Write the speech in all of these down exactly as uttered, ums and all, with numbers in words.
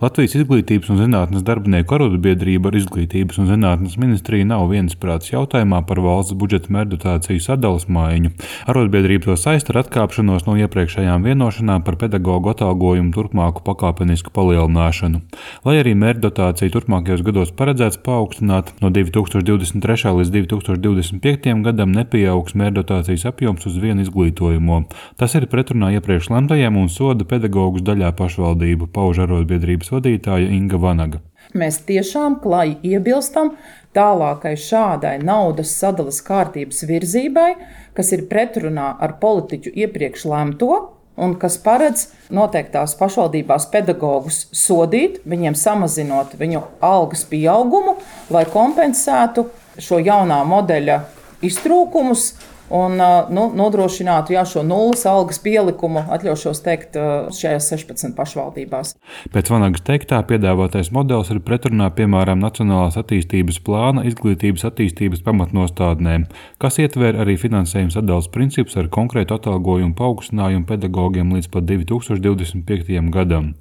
Latvijas Izglītības un zinātnes darbinieku arotbiedrība ar Izglītības un zinātnes ministriju nav viensprāts jautājumā par valsts budžeta mērķdotāciju sadales maiņu. Arotbiedrība to saista ar atkāpšanos no iepriekšējām vienošanām par pedagogu atalgojumu turpmāku pakāpenisku palielināšanu. Lai arī mērķdotācija turpmākajos gados paredzēts paaugstināt, no divi tūkstoši divdesmit trešā līdz divi tūkstoši divdesmit piektajam gadam nepieaugs mērķdotācijas apjoms uz vienu izglītojumu. Tas ir pretrunā iepriekš lemtajiem un soda pedagogus daļā pašvaldību, pauž arotbiedrības vadītāja Inga Vanaga. Mēs tiešām klāji iebilstam tālākai šādai naudas sadalas kārtības virzībai, kas ir pretrunā ar politiķu iepriekš lemto un kas paredz noteiktās pašvaldībās pedagogus sodīt, viņiem samazinot viņu algas pieaugumu, lai kompensētu šo jaunā modeļa iztrūkumus un nu, nodrošinātu jā, šo nulles algas pielikumu, atļaušos teikt, šajās sešpadsmit pašvaldībās. Pēc Vanagas teiktā piedāvātais modelis ir pretrunā piemēram Nacionālās attīstības plāna izglītības attīstības pamatnostādnēm, kas ietver arī finansējuma sadales principus ar konkrētu atalgojumu paaugstinājumu pedagogiem līdz pat divi tūkstoši divdesmit piektajam gadam.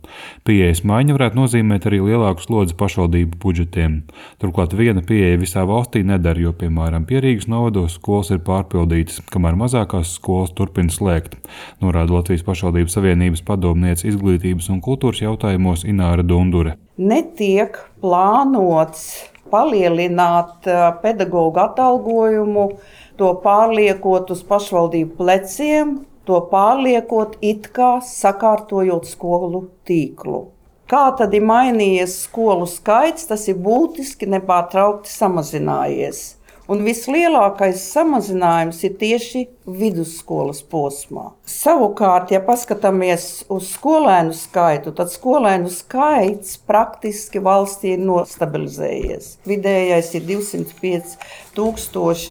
Pieejas maiņa varētu nozīmēt arī lielāku slodzi pašvaldību budžetiem. Turklāt viena pieeja visā valstī nedara, jo, piemēram, Pierīgas novados skolas ir pārpildītas, kamēr mazākās skolas turpina slēgt, norāda Latvijas pašvaldības savienības padomniece izglītības un kultūras jautājumos Ināra Dundure. Netiek plānots palielināt pedagogu atalgojumu, to pārliekot uz pašvaldību pleciem, to pārliekot it kā sakārtojot skolu tīklu. Kā tad ir mainījies skolu skaits, tas ir būtiski nepārtraukti samazinājies. Un vislielākais samazinājums ir tieši vidusskolas posmā. Savukārt, ja paskatāmies uz skolēnu skaitu, tad skolēnu skaits praktiski valstī ir nostabilizējies. Vidējais ir divsimt pieci tūkstoši.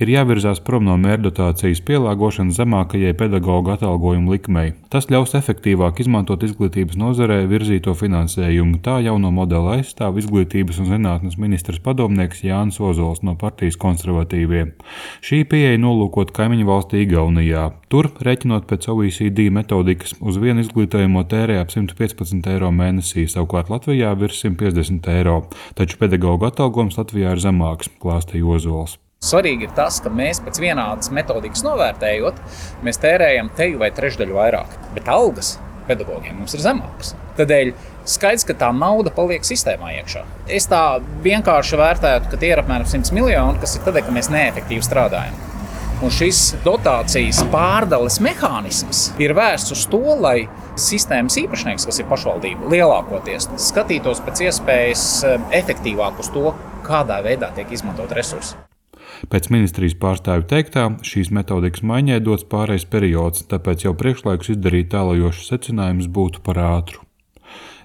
Ir jāvirzās prom no mērķdotācijas pielāgošanas zemākajai pedagogu atalgojumu likmei. Tas ļaus efektīvāk izmantot izglītības nozarē virzīto finansējumu. Tā jauno modeli aizstāv Izglītības un zinātnes ministrs padomnieks Jānis Ozols no partijas konservatīvie. Šī pieeja nolūkot kaimiņu valstī Igaunijā. Tur, rēķinot pēc O E C D metodikas, uz vienu izglītojumu tērē ap simt piecpadsmit eiro mēnesī, savukārt Latvijā virs simt piecdesmit eiro. Taču pedagogu atalgojums Latvijā ir zemāks, klāstīja Ozols. Svarīgi ir tas, ka mēs pēc vienādas metodikas novērtējot, mēs tērējam teju vai trešdaļu vairāk, bet algas pedagogiem mums ir zemākas. Tādēļ skaidrs, ka tā nauda paliek sistēmā iekšā. Es tā vienkārši vērtētu, ka tie ir apmēram simt miljoni, kas ir tādēļ, ka mēs neefektīvi strādājam. Un šis dotācijas pārdales mehānisms ir vērsts uz to, lai sistēmas īpašnieks, kas ir pašvaldība, lielākoties skatītos pēc iespējas efektīvāk uz to, kādā veidā tiek izmantot resursi. Pēc ministrijas pārstāvju teiktā, šīs metodikas maiņai dots pārejas periods, tāpēc jau priekšlaikus izdarīt tālajošus secinājumus būtu par ātru.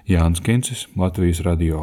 Jānis Kincis, Latvijas radio.